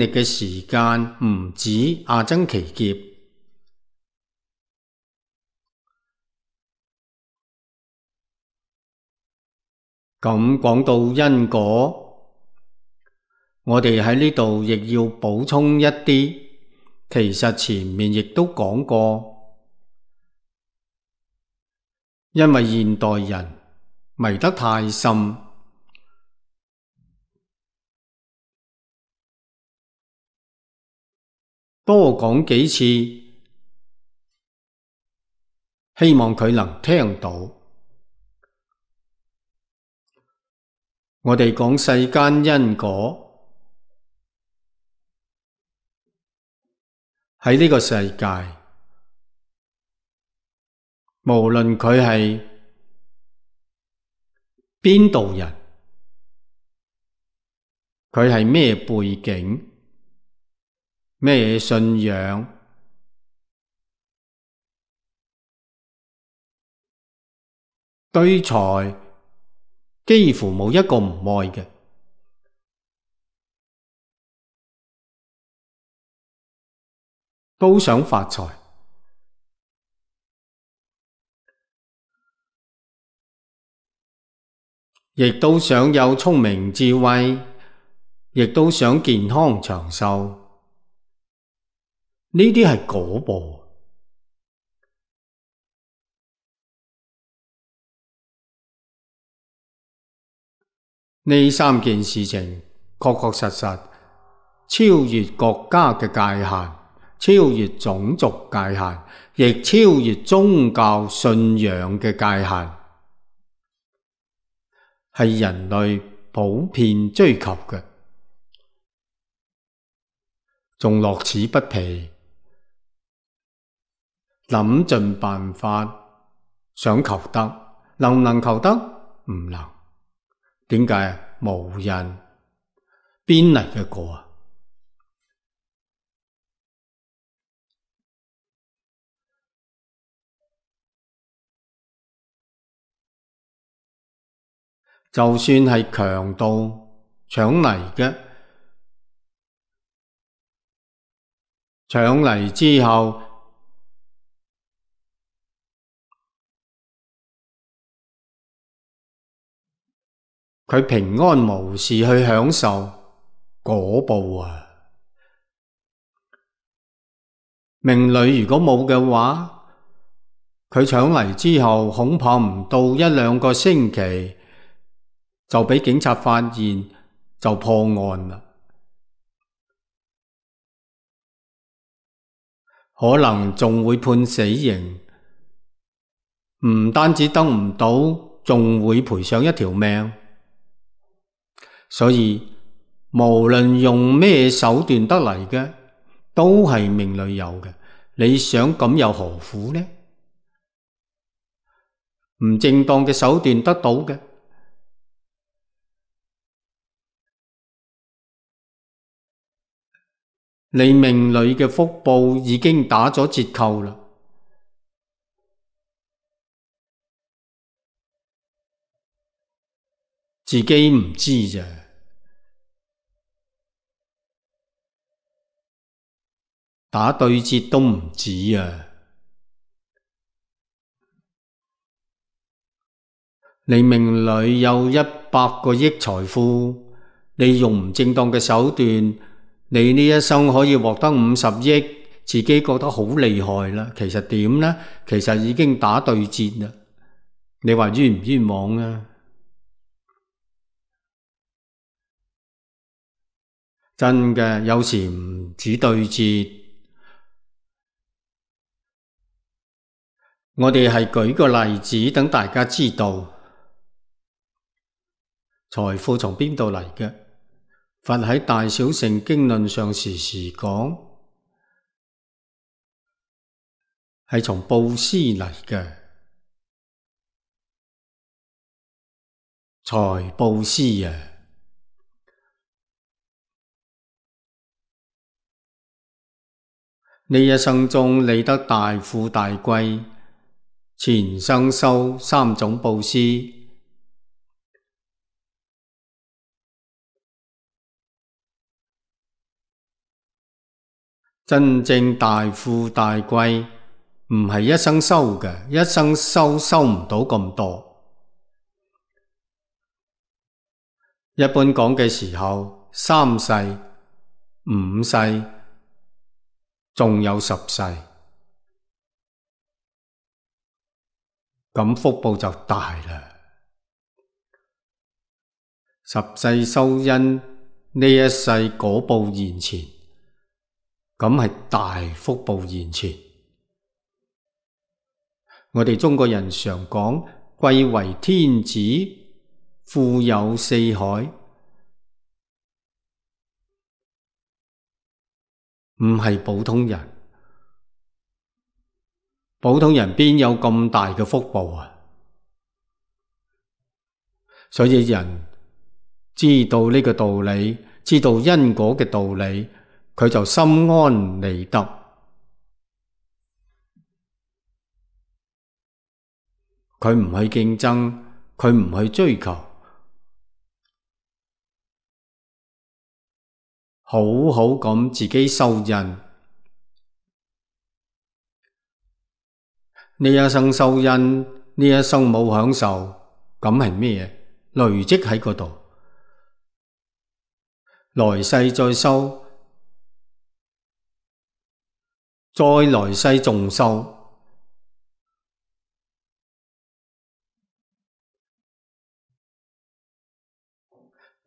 歷嘅時間唔止阿僧祇劫。咁講到因果，我哋喺呢度亦要補充一啲，其實前面亦都講過，因為現代人迷得太深，多講幾次，希望佢能聽到。我哋講世間因果，喺呢個世界，無論佢係邊度人，佢係咩背景、咩信仰，對財幾乎冇一個唔愛嘅，都想發財，亦都想有聰明智慧，亦都想健康長壽，呢啲係果報。呢三件事情確確實實超越國家嘅界限，超越種族界限，亦超越宗教信仰嘅界限，係人類普遍追求嘅，仲樂此不疲，諗盡辦法想求得，能唔能求得？唔能。點解？無人邊嚟嘅果啊？就算係強盜搶嚟嘅，搶嚟之後，佢平安無事去享受果報啊！命裏如果冇嘅話，佢搶嚟之後，恐怕唔到一兩個星期就俾警察發現，就破案啦。可能仲會判死刑，唔單止得唔到，仲會賠上一條命。所以無論用咩手段得嚟嘅，都係命裏有嘅。你想咁又何苦呢？唔正當嘅手段得到嘅，你命裏嘅福報已經打咗折扣啦，自己唔知咋。打對折都唔止啊！你命裏有100個億財富，你用唔正當嘅手段，你呢一生可以獲得50億，自己覺得好厲害啦。其實點呢？其實已經打對折啦。你話冤唔冤枉啊？真嘅，有時唔止對折。我哋係舉個例子，等大家知道財富從邊度嚟嘅。佛喺《大小乘經論》上時時講，係從布施嚟嘅，財布施啊！呢一生中你得大富大貴，前生修3種布施，真正大富大貴唔係一生修嘅，一生修唔到咁多。一般講嘅時候，3世、5世，仲有10世，咁福報就大啦。10世修因，呢一世果報現前，咁係大福報現前。我哋中國人常講貴為天子，富有四海，唔係普通人。普通人邊有咁大嘅福報啊？所以人知道呢個道理，知道因果嘅道理，佢就心安理得。佢唔去競爭，佢唔去追求，好好咁自己修因。呢一生修因，呢一生冇享受，咁係咩？累積喺嗰度，來世再修，再來世仲修，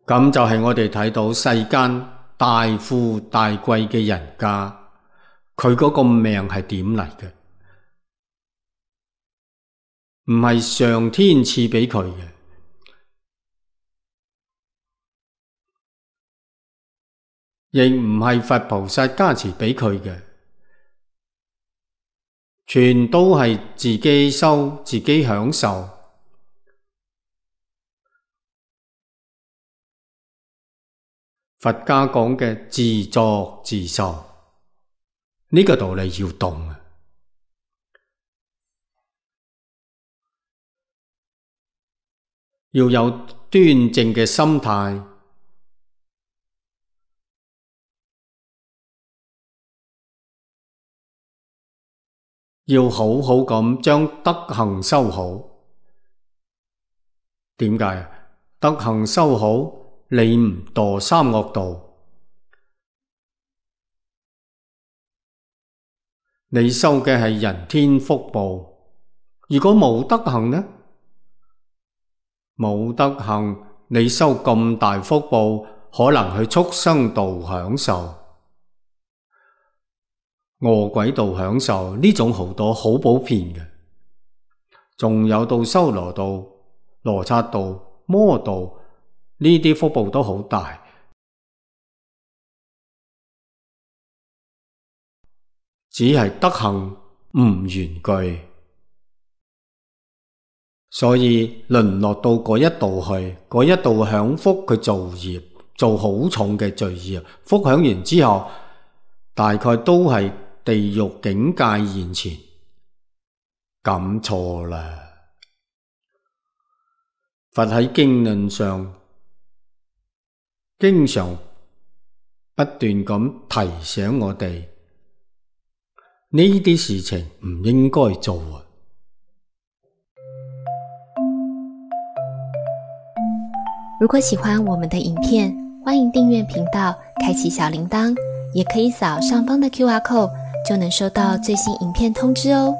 咁就係我哋睇到世間大富大貴嘅人家，佢嗰個命係點嚟嘅？唔係上天賜畀佢嘅，亦唔係佛菩薩加持畀佢嘅，全都係自己修，自己享受。佛家講嘅自作自受，呢個道理要懂啊！要有端正嘅心態，要好好咁將德行修好。點解啊？德行修好，你唔墮三惡道，你修嘅係人天福報。如果冇德行呢？冇德行，你修咁大福報，可能去畜生道享受，餓鬼道享受，呢種好多，好普遍嘅。仲有到修羅道、羅剎道、魔道，呢啲福報都好大，只係德行唔圓具。所以淪落到嗰一度去，嗰一度享福，佢造業，做好重嘅罪業，福享完之後，大概都係地獄境界現前，咁錯啦。佛喺經論上經常不斷咁提醒我哋，呢啲事情唔應該做啊。如果喜歡我們的影片，歡迎訂閱頻道，開啟小鈴鐺，也可以掃上方的QR code，就能收到最新影片通知哦。